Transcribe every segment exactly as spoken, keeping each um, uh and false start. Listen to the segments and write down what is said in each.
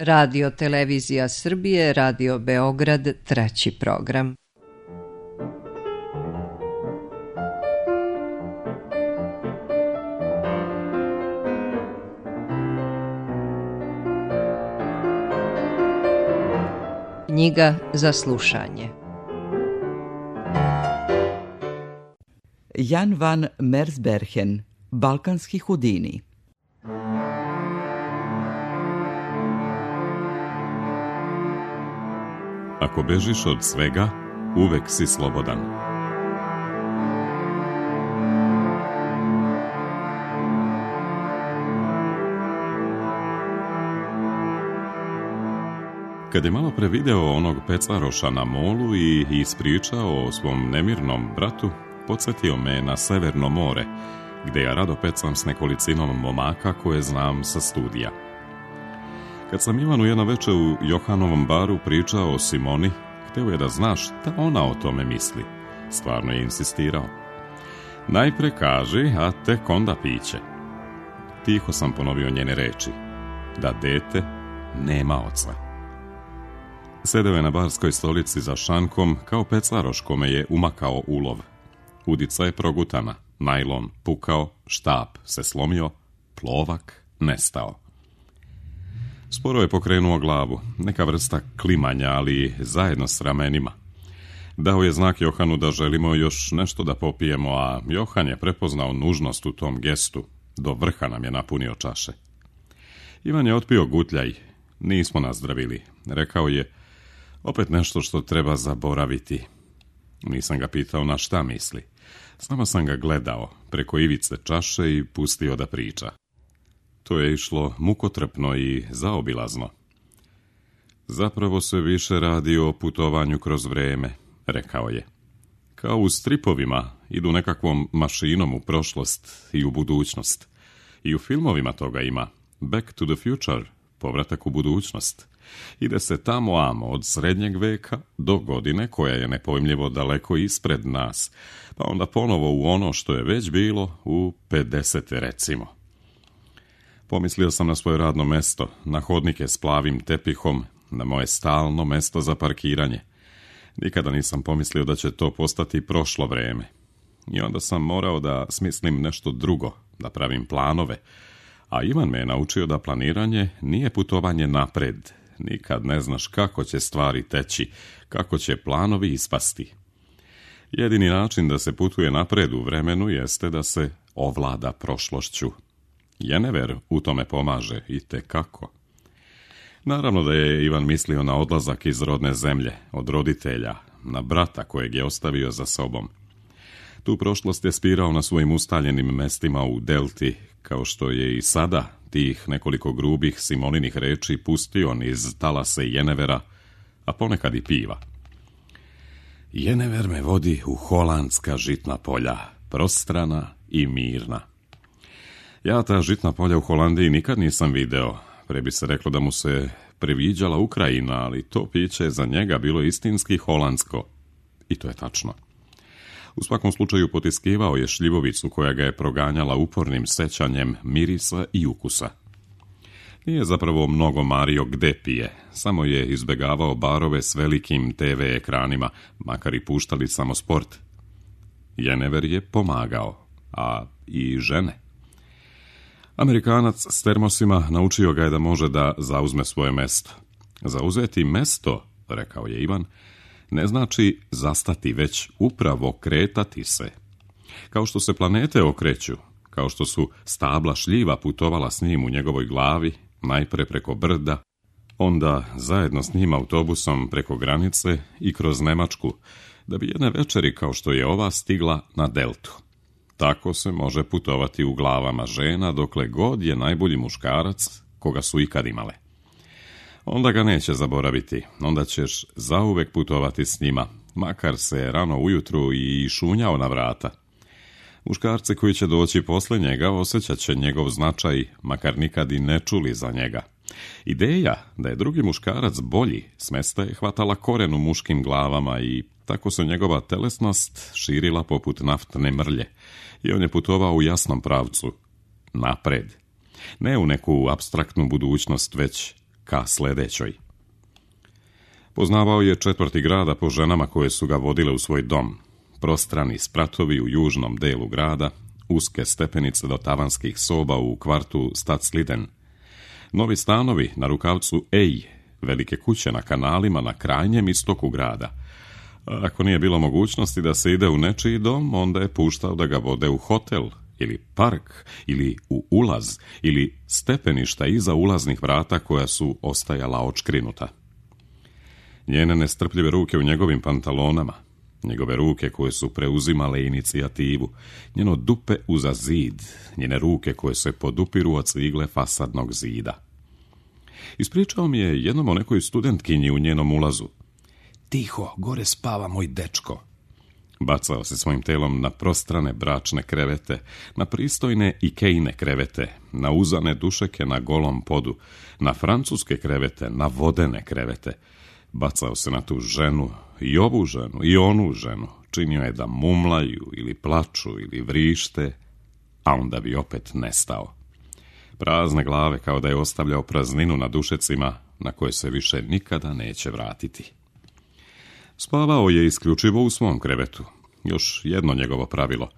Radio Televizija Srbije, Radio Beograd, treći program. Knjiga za slušanje. Jan van Mersbergen, Balkanski Houdini. Ako bežiš od svega, uvek si slobodan. Kad je malo pre video onog pecaroša na molu i ispričao o svom nemirnom bratu, podsjetio me na Severno more, gde ja rado pecam s nekolicinom momaka koje znam sa studija. Kad sam Ivanu jedno veče u Johanovom baru pričao o Simoni, hteo je da zna šta ona o tome misli. Stvarno je insistirao. Najpre kaži, a tek onda piće. Tiho sam ponovio njene reči. Da dete nema oca. Sedeo je na barskoj stolici za šankom kao pecaroš kome je umakao ulov. Udica je progutana, najlon pukao, štap se slomio, plovak nestao. Sporo je pokrenuo glavu, neka vrsta klimanja, ali zajedno s ramenima. Dao je znak Johanu da želimo još nešto da popijemo, a Johan je prepoznao nužnost u tom gestu. Do vrha nam je napunio čaše. Ivan je otpio gutljaj. Nismo nazdravili. Rekao je, opet nešto što treba zaboraviti. Nisam ga pitao na šta misli. Samo sam ga gledao preko ivice čaše i pustio da priča. To je išlo mukotrpno i zaobilazno. Zapravo se više radi o putovanju kroz vreme, rekao je. Kao u stripovima, idu nekakvom mašinom u prošlost i u budućnost. I u filmovima toga ima. Back to the Future, povratak u budućnost. Ide se tamo amo od srednjeg veka do godine koja je nepojmljivo daleko ispred nas, pa onda ponovo u ono što je već bilo u pedesete recimo. Pomislio sam na svoje radno mesto, na hodnike s plavim tepihom, na moje stalno mesto za parkiranje. Nikada nisam pomislio da će to postati prošlo vreme. I onda sam morao da smislim nešto drugo, da pravim planove. A Ivan me je naučio da planiranje nije putovanje napred. Nikad ne znaš kako će stvari teći, kako će planovi ispasti. Jedini način da se putuje napred u vremenu jeste da se ovlada prošlošću. Jenever u tome pomaže i te kako. Naravno da je Ivan mislio na odlazak iz rodne zemlje, od roditelja, na brata kojeg je ostavio za sobom. Tu prošlost je spirao na svojim ustaljenim mestima u delti, kao što je i sada tih nekoliko grubih Simoninih reči pustio niz talase Jenevera, a ponekad i piva. Jenever me vodi u holandska žitna polja, prostrana i mirna. Ja ta žitna polja u Holandiji nikad nisam video. Pre bi se reklo da mu se previđala Ukrajina, ali to piće za njega bilo istinski holandsko. I to je tačno. U svakom slučaju potiskivao je šljivovicu koja ga je proganjala upornim sećanjem mirisa i ukusa. Nije zapravo mnogo mario gde pije, samo je izbegavao barove s velikim te ve ekranima, makar i puštali samo sport. Jenever je pomagao, a i žene. Amerikanac s termosima naučio ga je da može da zauzme svoje mesto. Zauzeti mesto, rekao je Ivan, ne znači zastati, već upravo kretati se. Kao što se planete okreću, kao što su stabla šljiva putovala s njim u njegovoj glavi, najpre preko brda, onda zajedno s njim autobusom preko granice i kroz Nemačku, da bi jedne večeri kao što je ova stigla na deltu. Tako se može putovati u glavama žena dokle god je najbolji muškarac koga su ikad imale. Onda ga neće zaboraviti, onda ćeš zauvek putovati s njima, makar se rano ujutru i šunjao na vrata. Muškarci koji će doći posle njega osjećat će njegov značaj, makar nikad i ne čuli za njega. Ideja da je drugi muškarac bolji smesta je hvatala koren u muškim glavama i tako se njegova telesnost širila poput naftne mrlje i on je putovao u jasnom pravcu, napred. Ne u neku apstraktnu budućnost, već ka sledećoj. Poznavao je četvrti grada po ženama koje su ga vodile u svoj dom, prostrani spratovi u južnom delu grada, uske stepenice do tavanskih soba u kvartu Stadsliden, novi stanovi na rukavcu Ej, velike kuće na kanalima na krajnjem istoku grada. A ako nije bilo mogućnosti da se ide u nečiji dom, onda je puštao da ga vode u hotel, ili park, ili u ulaz, ili stepeništa iza ulaznih vrata koja su ostajala odškrinuta. Njene nestrpljive ruke u njegovim pantalonama, njegove ruke koje su preuzimale inicijativu, njeno dupe uza zid, njene ruke koje se podupiru od cigle fasadnog zida. Ispričao mi je jednom o nekoj studentkinji u njenom ulazu. Tiho, gore spava moj dečko. Bacao se svojim telom na prostrane bračne krevete, na pristojne Ikejne krevete, na uzane dušeke na golom podu, na francuske krevete, na vodene krevete. Bacao se na tu ženu, i ovu ženu, i onu ženu. Činio je da mumlaju, ili plaču, ili vrište, a onda bi opet nestao. Prazne glave kao da je ostavljao prazninu na dušecima na koje se više nikada neće vratiti. Spavao je isključivo u svom krevetu. Još jedno njegovo pravilo.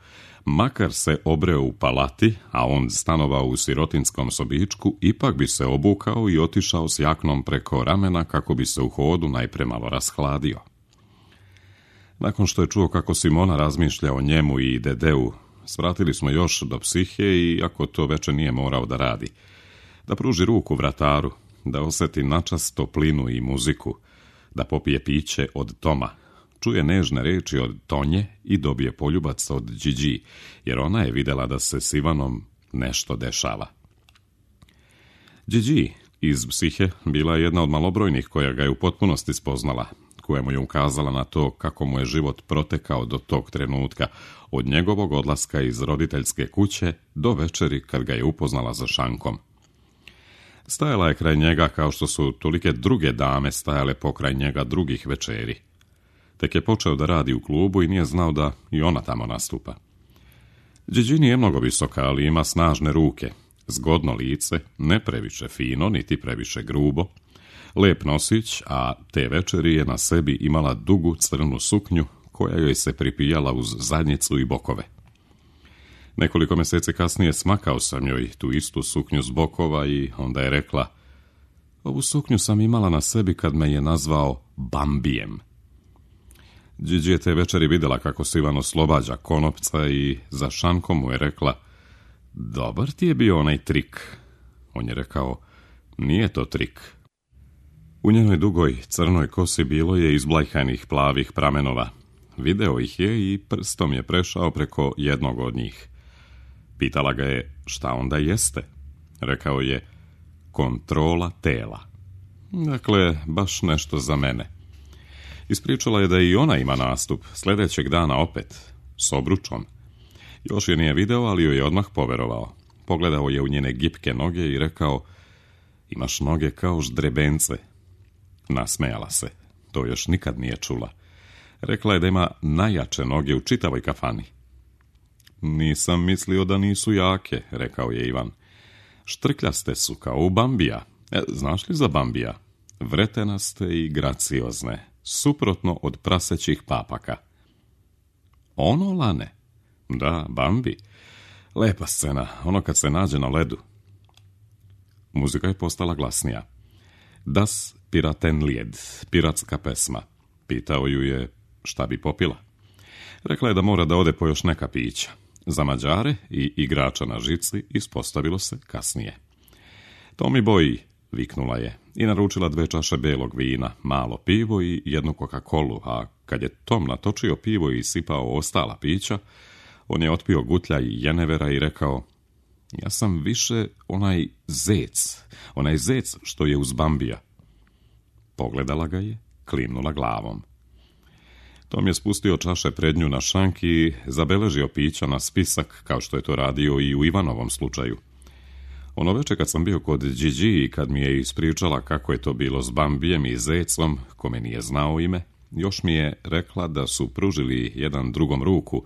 Makar se obreo u palati, a on stanovao u sirotinskom sobičku, ipak bi se obukao i otišao s jaknom preko ramena kako bi se u hodu najpre malo rashladio. Nakon što je čuo kako Simona razmišlja o njemu i Dedeu, svratili smo još do psihe i ako to veče nije morao da radi. Da pruži ruku vrataru, da osjeti načas toplinu i muziku, da popije piće od Toma, čuje nežne reči od Tonje i dobije poljubac od Điđi, jer ona je vidjela da se s Ivanom nešto dešava. Điđi iz psihe bila je jedna od malobrojnih koja ga je u potpunosti spoznala, koja mu je ukazala na to kako mu je život protekao do tog trenutka, od njegovog odlaska iz roditeljske kuće do večeri kad ga je upoznala za šankom. Stajala je kraj njega kao što su tolike druge dame stajale pokraj njega drugih večeri. Tek je počeo da radi u klubu i nije znao da i ona tamo nastupa. Điđi nije mnogo visoka, ali ima snažne ruke, zgodno lice, ne previše fino, niti previše grubo, lep nosić, a te večeri je na sebi imala dugu crnu suknju koja joj se pripijala uz zadnjicu i bokove. Nekoliko mjeseci kasnije smakao sam joj tu istu suknju s bokova i onda je rekla: ovu suknju sam imala na sebi kad me je nazvao Bambijem. Điđi je te večeri vidjela kako se Ivan oslobađa konopca i za šankom mu je rekla: dobar ti je bio onaj trik. On je rekao: nije to trik. U njenoj dugoj crnoj kosi bilo je izblajhanih plavih pramenova. Video ih je i prstom je prešao preko jednog od njih. Pitala ga je šta onda jeste. Rekao je: kontrola tela. Dakle, baš nešto za mene. Ispričala je da i ona ima nastup, sljedećeg dana opet, s obručom. Još je nije video, ali joj je odmah poverovao. Pogledao je u njene gipke noge i rekao: imaš noge kao ždrebence. Nasmejala se, to još nikad nije čula. Rekla je da ima najjače noge u čitavoj kafani. Nisam mislio da nisu jake, rekao je Ivan. Štrkljaste su kao u Bambija. E, znaš li za Bambija? Vretenaste i graciozne, suprotno od prasećih papaka. Ono, Lane? Da, Bambi. Lepa scena, ono kad se nađe na ledu. Muzika je postala glasnija. Das Piratenlied, piratska pesma. Pitao ju je šta bi popila. Rekla je da mora da ode po još neka pića. Za Mađare i igrača na žici ispostavilo se kasnije. Tomi Boy, viknula je, i naručila dve čaše belog vina, malo pivo i jednu Coca-Colu, a kad je Tom natočio pivo i sipao ostala pića, on je otpio gutljaj jenevera i rekao: ja sam više onaj zec, onaj zec što je uz Bambija. Pogledala ga je, klimnula glavom. Tom je spustio čaše pred nju na šank i zabeležio pića na spisak, kao što je to radio i u Ivanovom slučaju. Ono veče kad sam bio kod Điđi i kad mi je ispričala kako je to bilo s Bambijem i zecom, kome nije znao ime, još mi je rekla da su pružili jedan drugom ruku,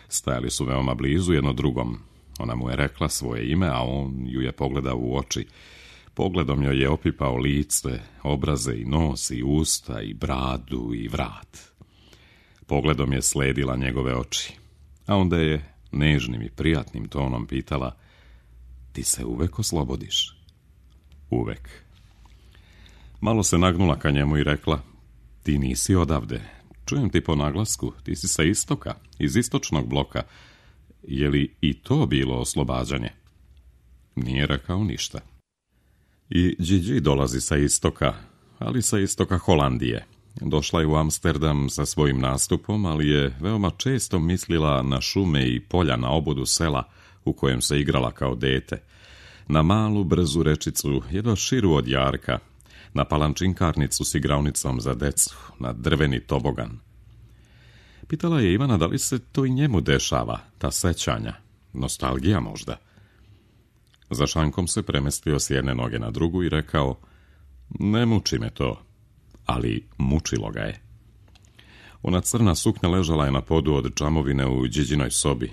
stajali su veoma blizu jedno drugom. Ona mu je rekla svoje ime, a on ju je pogledao u oči. Pogledom joj je opipao lice, obraze i nos i usta i bradu i vrat. Pogledom je sledila njegove oči, a onda je nežnim i prijatnim tonom pitala: ti se uvek oslobodiš? Uvek. Malo se nagnula ka njemu i rekla: ti nisi odavde. Čujem ti po naglasku, ti si sa istoka, iz istočnog bloka. Je li i to bilo oslobađanje? Nije rekao ništa. I Gigi dolazi sa istoka, ali sa istoka Holandije. Došla je u Amsterdam sa svojim nastupom, ali je veoma često mislila na šume i polja na obodu sela u kojem se igrala kao dete, na malu brzu rečicu, jedva širu od jarka, na palančinkarnicu s igraunicom za decu, na drveni tobogan. Pitala je Ivana da li se to i njemu dešava, ta sećanja, nostalgija možda. Za šankom se premestio s jedne noge na drugu i rekao: ne muči me to, ali mučilo ga je. Ona crna suknja ležala je na podu od džamovine u Điđinoj sobi,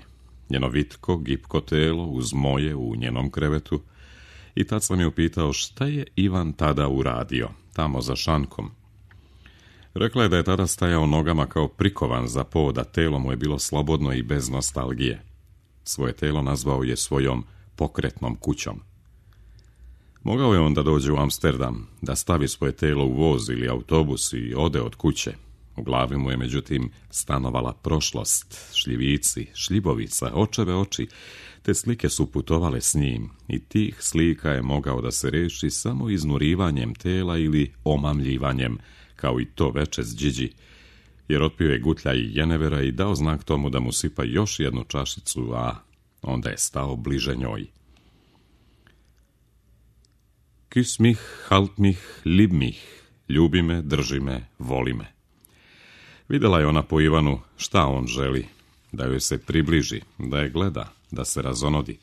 njeno vitko, gipko telo uz moje u njenom krevetu, i tad sam je upitao šta je Ivan tada uradio, tamo za šankom. Rekla je da je tada stajao nogama kao prikovan za pod, a telo mu je bilo slobodno i bez nostalgije. Svoje telo nazvao je svojom pokretnom kućom. Mogao je on da dođe u Amsterdam, da stavi svoje telo u voz ili autobus i ode od kuće. U glavi mu je međutim stanovala prošlost, šljivici, šljibovica, očeve oči, te slike su putovale s njim i tih slika je mogao da se reši samo iznurivanjem tela ili omamljivanjem, kao i to veče s Điđi, jer otpio je gutlja i jenevera i dao znak tomu da mu sipa još jednu čašicu, a onda je stao bliže njoj. Küss mich, halt mich, lieb mich, ljubi me, drži me, voli me. Vidjela je ona po Ivanu šta on želi, da joj se približi, da je gleda, da se razonodi.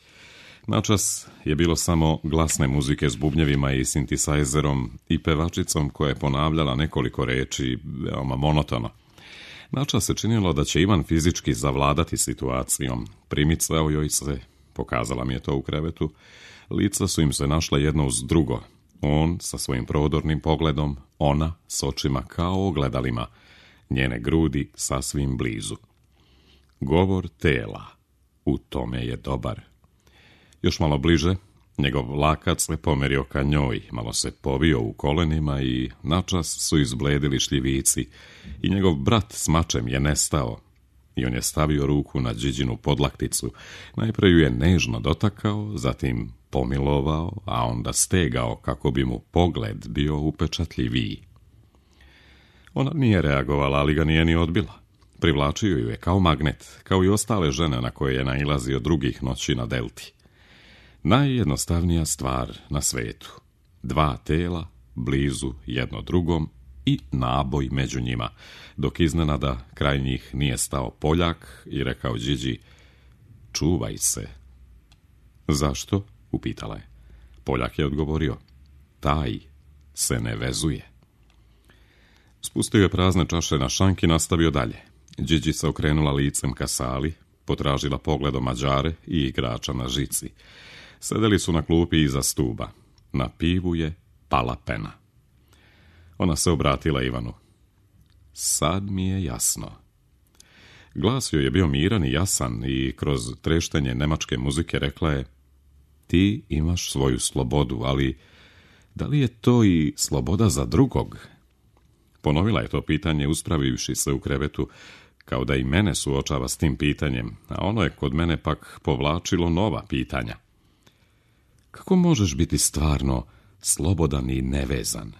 Načas je bilo samo glasne muzike s bubnjevima i sintisajzerom i pevačicom koja je ponavljala nekoliko reči veoma monotono. Načas se činilo da će Ivan fizički zavladati situacijom. Primicao joj se, pokazala mi je to u krevetu, lica su im se našla jedno uz drugo. On sa svojim prodornim pogledom, ona s očima kao ogledalima, njene grudi sasvim blizu. Govor tela, u tome je dobar. Još malo bliže, njegov lakac se pomerio ka njoj, malo se povio u kolenima i načas su izbledili šljivici i njegov brat s mačem je nestao. I on je stavio ruku na Điđinu podlakticu, najpre ju je nežno dotakao, zatim pomilovao, a onda stegao kako bi mu pogled bio upečatljiviji. Ona nije reagovala, ali ga nije ni odbila. Privlačio ju je kao magnet, kao i ostale žene na koje je nailazio drugih noći na Delti. Najjednostavnija stvar na svetu. Dva tela, blizu jedno drugom i naboj među njima, dok iznenada kraj njih nije stao Poljak i rekao Điđi: čuvaj se. Zašto? Upitala je. Poljak je odgovorio: taj se ne vezuje. Spustio je prazne čaše na šank i nastavio dalje. Điđi se okrenula licem ka sali, potražila pogledom Mađare i igrača na žici. Sedeli su na klupi iza stuba. Na pivu je pala pena. Ona se obratila Ivanu. Sad mi je jasno. Glas joj je bio miran i jasan i kroz treštenje nemačke muzike rekla je: ti imaš svoju slobodu, ali da li je to i sloboda za drugog? Ponovila je to pitanje uspravivši se u krevetu, kao da i mene suočava s tim pitanjem, a ono je kod mene pak povlačilo nova pitanja. Kako možeš biti stvarno slobodan i nevezan?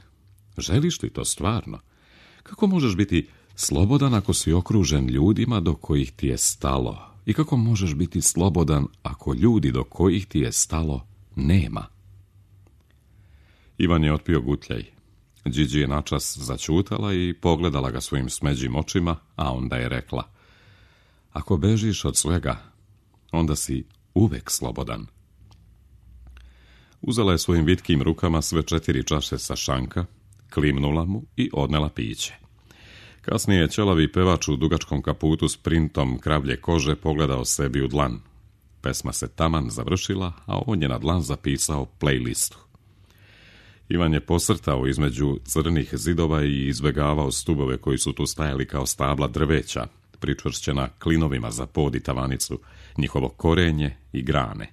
Želiš li to stvarno? Kako možeš biti slobodan ako si okružen ljudima do kojih ti je stalo? I kako možeš biti slobodan ako ljudi do kojih ti je stalo nema? Ivan je otpio gutljaj. Điđi je načas začutala i pogledala ga svojim smeđim očima, a onda je rekla: ako bežiš od svega, onda si uvek slobodan. Uzela je svojim vitkim rukama sve četiri čaše sa šanka, klimnula mu i odnela piće. Kasnije je ćelavi pevač u dugačkom kaputu s printom kravlje kože pogledao sebi u dlan. Pesma se taman završila, a on je na dlan zapisao playlistu. Ivan je posrtao između crnih zidova i izbjegavao stubove koji su tu stajali kao stabla drveća, pričvršćena klinovima za pod i tavanicu, njihovo korenje i grane.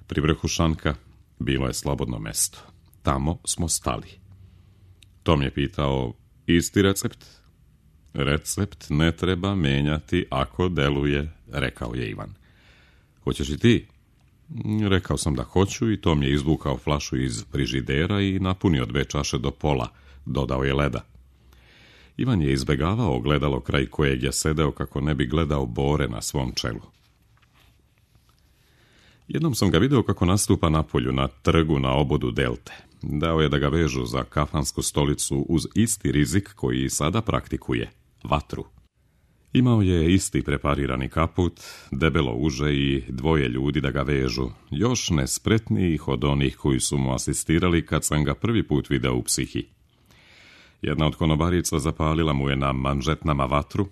Pri vrhu šanka bilo je slobodno mesto. Tamo smo stali. Tom je pitao, isti recept? Recept ne treba menjati ako deluje, rekao je Ivan. Hoćeš i ti? Rekao sam da hoću i Tom je izvukao flašu iz frižidera i napunio dve čaše do pola, dodao je leda. Ivan je izbjegavao gledalo kraj kojeg je sedeo kako ne bi gledao bore na svom čelu. Jednom sam ga video kako nastupa napolju na trgu na obodu Delte. Dao je da ga vežu za kafansku stolicu uz isti rizik koji i sada praktikuje, vatru. Imao je isti preparirani kaput, debelo uže i dvoje ljudi da ga vežu, još nespretnijih od onih koji su mu asistirali kad sam ga prvi put video u Psihi. Jedna od konobarica zapalila mu je na manžetnama vatru,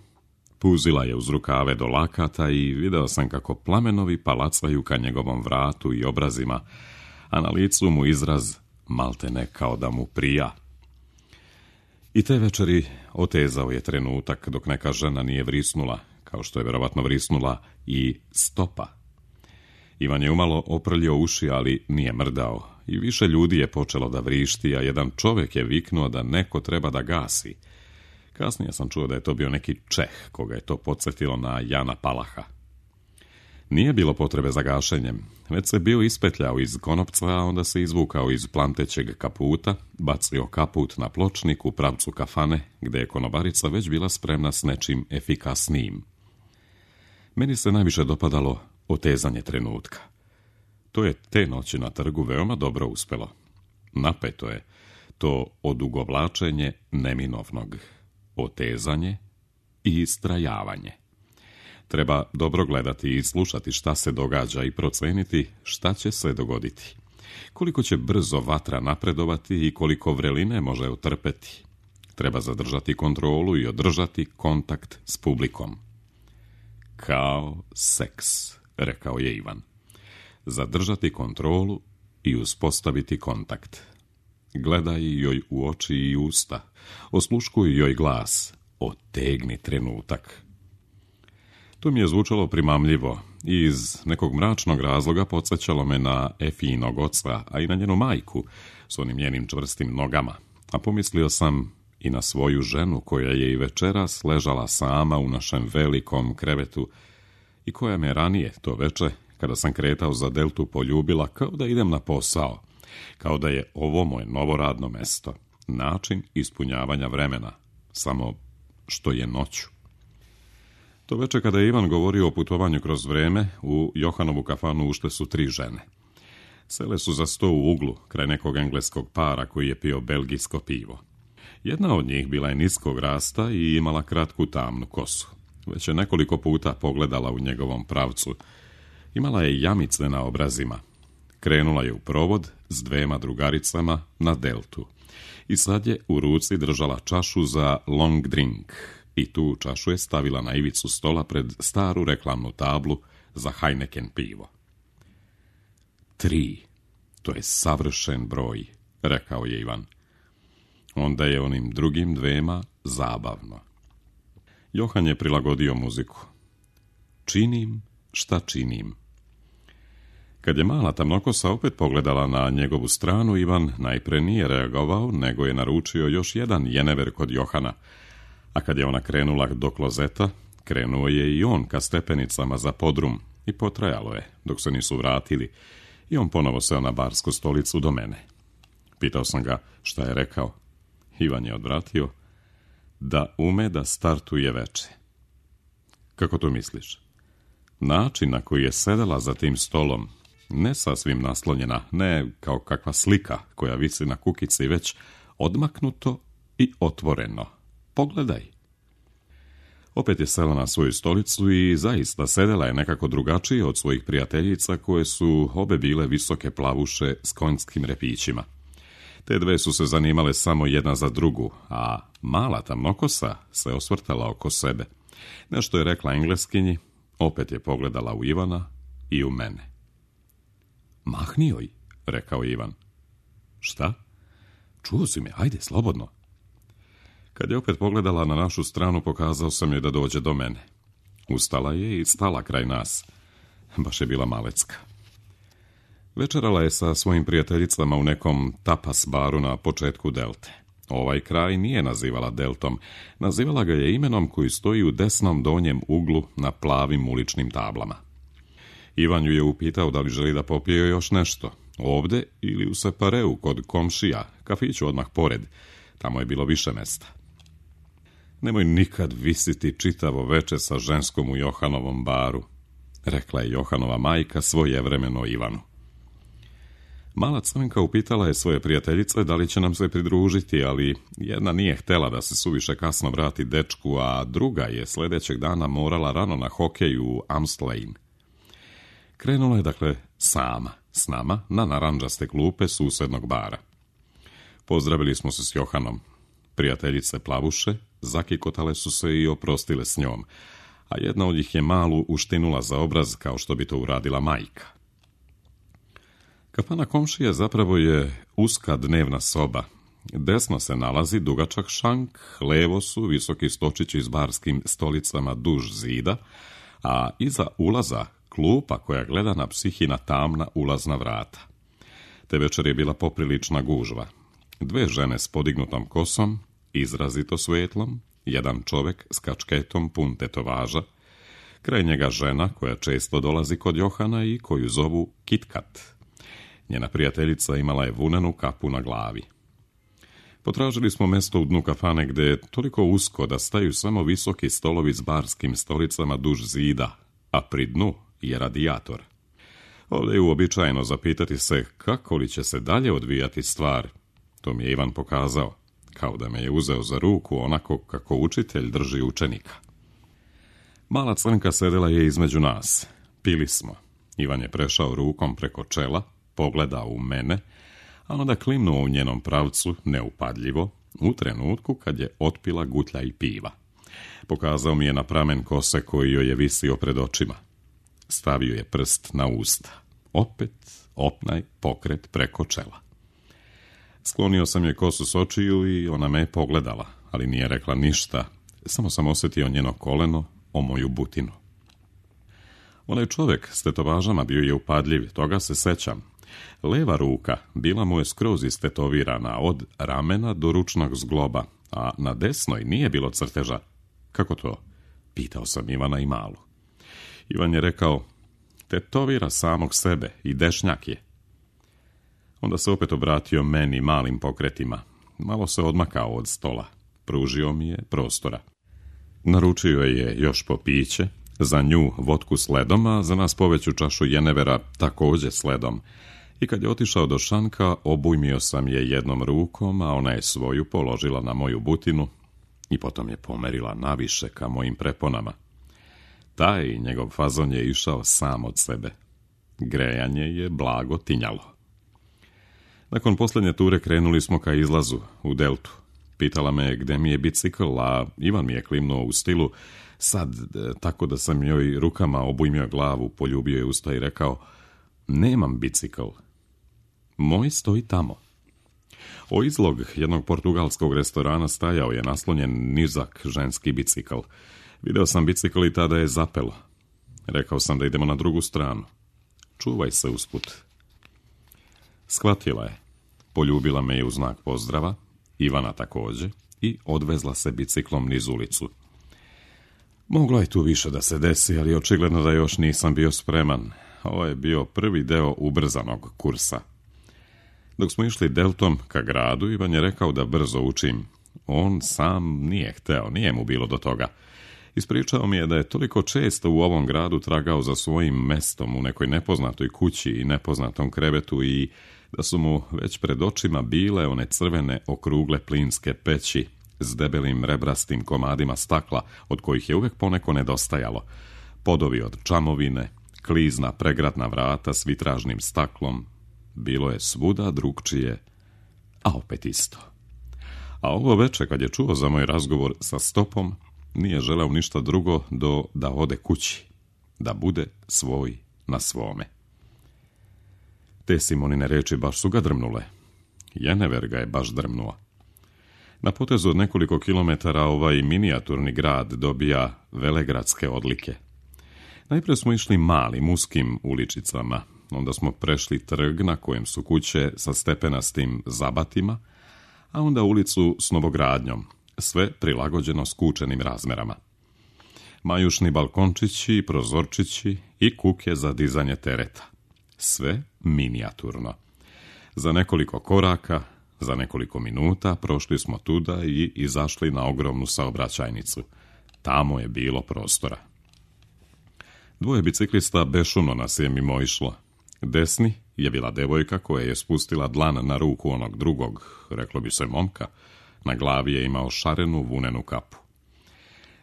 puzila je uz rukave do lakata i video sam kako plamenovi palacaju ka njegovom vratu i obrazima, a na licu mu izraz maltene kao da mu prija. I te večeri otezao je trenutak dok neka žena nije vrisnula, kao što je vjerovatno vrisnula i stopa. Ivan je umalo oprljio uši, ali nije mrdao, i više ljudi je počelo da vrišti, a jedan čovjek je viknuo da neko treba da gasi. Kasnije sam čuo da je to bio neki Čeh, koga je to podsjetilo na Jana Palaha. Nije bilo potrebe za gašenjem, već se bio ispetljao iz konopca, a onda se izvukao iz plantećeg kaputa, bacio kaput na pločnik u pravcu kafane, gdje je konobarica već bila spremna s nečim efikasnijim. Meni se najviše dopadalo otezanje trenutka. To je te noći na trgu veoma dobro uspelo. Napeto je to odugovlačenje neminovnog, otezanje i istrajavanje. Treba dobro gledati i slušati šta se događa i proceniti šta će se dogoditi. Koliko će brzo vatra napredovati i koliko vreline može utrpeti. Treba zadržati kontrolu i održati kontakt s publikom. Kao seks, rekao je Ivan. Zadržati kontrolu i uspostaviti kontakt. Gledaj joj u oči i usta. Osluškuj joj glas. Otegni trenutak. To mi je zvučalo primamljivo i iz nekog mračnog razloga podsjećalo me na Efijinog oca, a i na njenu majku s onim njenim čvrstim nogama. A pomislio sam i na svoju ženu koja je i večeras ležala sama u našem velikom krevetu i koja me ranije to veče, kada sam kretao za Deltu, poljubila kao da idem na posao, kao da je ovo moje novo radno mesto, način ispunjavanja vremena, samo što je noću. To veče kada je Ivan govorio o putovanju kroz vreme, u Johanovu kafanu ušle su tri žene. Sele su za sto u uglu, kraj nekog engleskog para koji je pio belgijsko pivo. Jedna od njih bila je niskog rasta i imala kratku tamnu kosu. Već je nekoliko puta pogledala u njegovom pravcu. Imala je jamice na obrazima. Krenula je u provod s dvema drugaricama na Deltu. I sad je u ruci držala čašu za long drink. I tu čašu je stavila na ivicu stola pred staru reklamnu tablu za Heineken pivo. Tri. To je savršen broj, rekao je Ivan. Onda je onim drugim dvema zabavno. Johan je prilagodio muziku. Činim šta činim. Kad je mala tamnokosa opet pogledala na njegovu stranu, Ivan najpre nije reagovao, nego je naručio još jedan jenever kod Johana, a kad je ona krenula do klozeta, krenuo je i on ka stepenicama za podrum i potrajalo je, dok se nisu vratili, i on ponovo seo na barsku stolicu do mene. Pitao sam ga šta je rekao. Ivan je odvratio da ume da startuje veče. Kako to misliš? Način na koji je sedela za tim stolom, ne sasvim naslonjena, ne kao kakva slika koja visi na kukici, već odmaknuto i otvoreno. Pogledaj. Opet je sela na svoju stolicu i zaista sedela je nekako drugačije od svojih prijateljica koje su obe bile visoke plavuše s konjskim repićima. Te dve su se zanimale samo jedna za drugu, a mala tamnokosa se osvrtala oko sebe. Nešto je rekla Engleskinji, opet je pogledala u Ivana i u mene. Mahni joj, rekao Ivan. Šta? čuo si me, ajde, slobodno. Kad je opet pogledala na našu stranu, pokazao sam joj da dođe do mene. Ustala je i stala kraj nas. Baš je bila malecka. Večerala je sa svojim prijateljicama u nekom tapas baru na početku Delte. Ovaj kraj nije nazivala Deltom, nazivala ga je imenom koji stoji u desnom donjem uglu na plavim uličnim tablama. Ivan ju je upitao da li želi da popije još nešto, ovde ili u Separeu kod komšija, kafiću odmah pored, tamo je bilo više mesta. Nemoj nikad visiti čitavo veče sa ženskom u Johanovom baru, rekla je Johanova majka svojevremeno Ivanu. Mala crnka upitala je svoje prijateljice da li će nam se pridružiti, ali jedna nije htela da se suviše kasno vrati dečku, a druga je sljedećeg dana morala rano na hokej u Amstelveen. Krenula je dakle sama s nama na narandžaste klupe susednog bara. Pozdravili smo se s Johanom. Prijateljice plavuše zakikotale su se i oprostile s njom, a jedna od njih je malu uštinula za obraz kao što bi to uradila majka. Kafana komšije zapravo je uska dnevna soba. Desno se nalazi dugačak šank, levo su visoki stočići s barskim stolicama duž zida, a iza ulaza klupa koja gleda na psihina tamna ulazna vrata. Te večer je bila poprilična gužva. Dve žene s podignutom kosom, izrazito svetlom, jedan čovek s kačketom pun tetovaža, kraj njega žena koja često dolazi kod Johana i koju zovu Kitkat. Njena prijateljica imala je vunenu kapu na glavi. Potražili smo mesto u dnu kafane gde je toliko usko da staju samo visoki stolovi s barskim stolicama duž zida, a pri dnu je radijator. Ovdje je uobičajeno zapitati se kako li će se dalje odvijati stvar. To mi je Ivan pokazao, kao da me je uzeo za ruku onako kako učitelj drži učenika. Mala crnka sedela je između nas. Pili smo. Ivan je prešao rukom preko čela, pogledao u mene, a onda klimnuo u njenom pravcu, neupadljivo, u trenutku kad je otpila gutlja i piva. Pokazao mi je na pramen kose koji joj je visio pred očima. Stavio je prst na usta. Opet opnaj pokret preko čela. Sklonio sam je kosu s očiju i ona me je pogledala, ali nije rekla ništa, samo sam osjetio njeno koleno o moju butinu. Onaj čovjek s tetovažama bio je upadljiv, toga se sećam. Leva ruka bila mu je skroz istetovirana od ramena do ručnog zgloba, a na desnoj nije bilo crteža. Kako to? Pitao sam Ivana i Malu. Ivan je rekao, tetovira samog sebe i dešnjak je. Onda se opet obratio meni malim pokretima. Malo se odmakao od stola. Pružio mi je prostora. Naručio je još po piće, za nju vodku s ledom, a za nas poveću čašu jenevera također s ledom. I kad je otišao do šanka, obujmio sam je jednom rukom, a ona je svoju položila na moju butinu i potom je pomerila naviše ka mojim preponama. Taj njegov fazon je išao sam od sebe. Grejanje je blago tinjalo. Nakon posljednje ture krenuli smo ka izlazu u Deltu. Pitala me gde mi je bicikl, a Ivan mi je klimnuo u stilu sad, tako da sam joj rukama obujmio glavu, poljubio je usta i rekao, nemam bicikl. Moj stoji tamo. O izlog jednog portugalskog restorana stajao je naslonjen nizak ženski bicikl. Video sam bicikl i tada je zapelo. Rekao sam da idemo na drugu stranu. Čuvaj se usput. Shvatila je. Poljubila me je u znak pozdrava, Ivana također, i odvezla se biciklom niz ulicu. Moglo je tu više da se desi, ali očigledno da još nisam bio spreman. Ovo je bio prvi deo ubrzanog kursa. Dok smo išli Deltom ka gradu, Ivan je rekao da brzo učim. On sam nije hteo, nije mu bilo do toga. Ispričao mi je da je toliko često u ovom gradu tragao za svojim mestom u nekoj nepoznatoj kući i nepoznatom krevetu i da su mu već pred očima bile one crvene okrugle plinske peći s debelim rebrastim komadima stakla od kojih je uvek poneko nedostajalo, podovi od čamovine, klizna pregradna vrata s vitražnim staklom. Bilo je svuda drugčije, a opet isto. A ovo veče kad je čuo za moj razgovor sa Stopom, nije želeo ništa drugo do da ode kući, da bude svoj na svome. Te Simonine reči baš su ga drmnule. Jenever ga je baš drmnuo. Na potezu od nekoliko kilometara ovaj minijaturni grad dobija velegradske odlike. Najprije smo išli malim, uskim uličicama, onda smo prešli trg na kojem su kuće sa stepenastim zabatima, a onda ulicu s novogradnjom, sve prilagođeno skučenim razmerama. Majušni balkončići, prozorčići i kuke za dizanje tereta. Sve minijaturno. Za nekoliko koraka, za nekoliko minuta prošli smo tuda i izašli na ogromnu saobraćajnicu. Tamo je bilo prostora. Dvoje biciklista bešumno nas je mimo išlo. Desni je bila devojka koja je spustila dlan na ruku onog drugog, reklo bi se momka. Na glavi je imao šarenu vunenu kapu.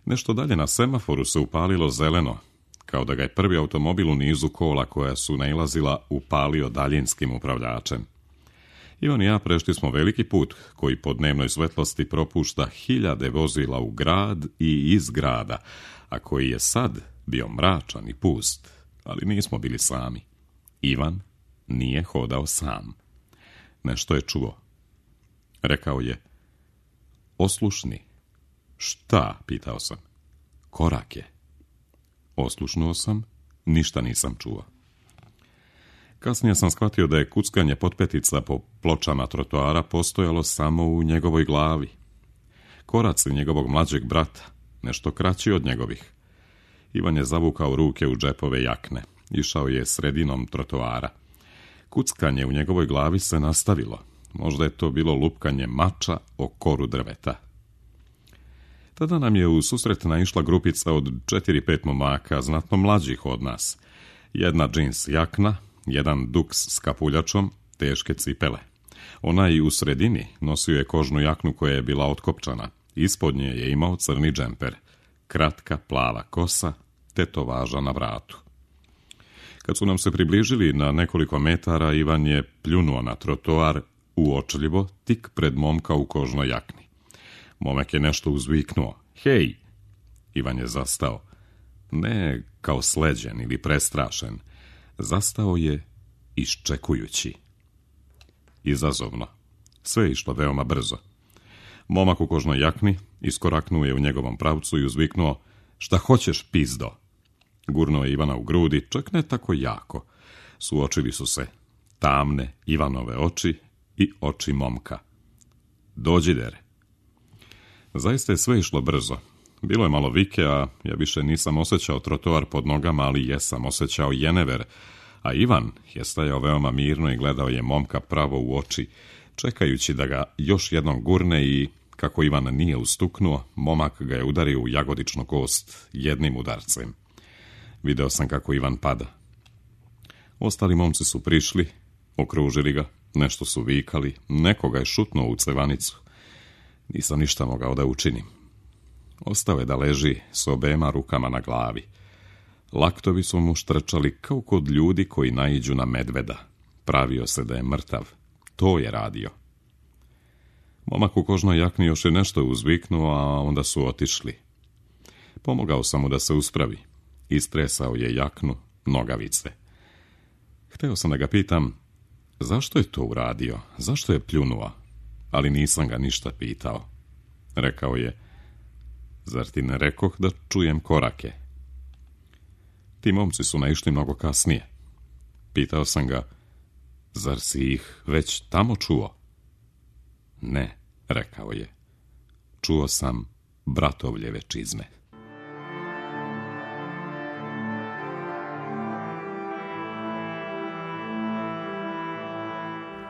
Nešto dalje na semaforu se upalilo zeleno, kao da ga je prvi automobil u nizu kola koja su nailazila upalio daljinskim upravljačem. Ivan i ja prešli smo veliki put koji po dnevnoj svetlosti propušta hiljade vozila u grad i iz grada, a koji je sad bio mračan i pust, ali nismo bili sami. Ivan nije hodao sam. Nešto je čuo. Rekao je: "Oslušni." "Šta?" pitao sam. "Korake." Oslušnuo sam, ništa nisam čuo. Kasnije sam shvatio da je kuckanje potpetica po pločama trotoara postojalo samo u njegovoj glavi. Koraci njegovog mlađeg brata, nešto kraći od njegovih. Ivan je zavukao ruke u džepove jakne. Išao je sredinom trotoara. Kuckanje u njegovoj glavi se nastavilo. Možda je to bilo lupkanje mača o koru drveta. Tada nam je u susret naišla grupica od četiri pet momaka, znatno mlađih od nas. Jedna džins jakna, jedan duks s kapuljačom, teške cipele. Onaj u sredini nosio je kožnu jaknu koja je bila otkopčana. Ispod nje je imao crni džemper, kratka plava kosa, tetovaža na vratu. Kad su nam se približili na nekoliko metara, Ivan je pljunuo na trotoar uočljivo tik pred momka u kožnoj jakni. Momak je nešto uzviknuo. "Hej!" Ivan je zastao. Ne kao sleđen ili prestrašen. Zastao je iščekujući. Izazovno. Sve je išlo veoma brzo. Momak u kožnoj jakni iskoraknuo je u njegovom pravcu i uzviknuo: "Šta hoćeš, pizdo?" Gurnuo je Ivana u grudi, čak ne tako jako. Suočili su se tamne Ivanove oči i oči momka. "Dođi, dere." Zaista je sve išlo brzo. Bilo je malo vike, a ja više nisam osjećao trotoar pod nogama, ali jesam osjećao jenever, a Ivan je stajao veoma mirno i gledao je momka pravo u oči, čekajući da ga još jednom gurne i, kako Ivan nije ustuknuo, momak ga je udario u jagodičnu kost jednim udarcem. Video sam kako Ivan pada. Ostali momci su prišli, okružili ga, nešto su vikali, nekoga je šutnuo u cevanicu. Nisam ništa mogao da učinim. Ostao je da leži s obema rukama na glavi. Laktovi su mu štrčali kao kod ljudi koji naiđu na medveda. Pravio se da je mrtav. To je radio. Momak u kožnoj jakni još je nešto uzviknuo, a onda su otišli. Pomogao sam mu da se uspravi. Istresao je jaknu, nogavice. Hteo sam da ga pitam, zašto je to uradio, zašto je pljunuo, ali nisam ga ništa pitao. Rekao je: "Zar ti ne rekoh da čujem korake?" Ti momci su naišli mnogo kasnije. Pitao sam ga: "Zar si ih već tamo čuo?" "Ne," rekao je. "Čuo sam bratovljeve čizme."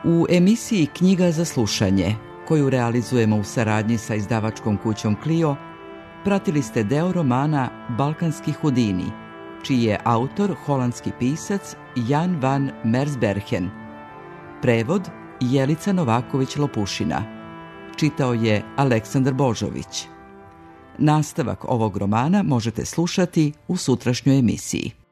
U emisiji Knjiga za slušanje, koju realizujemo u saradnji sa izdavačkom kućom Clio, pratili ste deo romana Balkanski Hudini, čiji je autor holandski pisac Jan van Mersbergen. Prevod Jelica Novaković-Lopušina. Čitao je Aleksandar Božović. Nastavak ovog romana možete slušati u sutrašnjoj emisiji.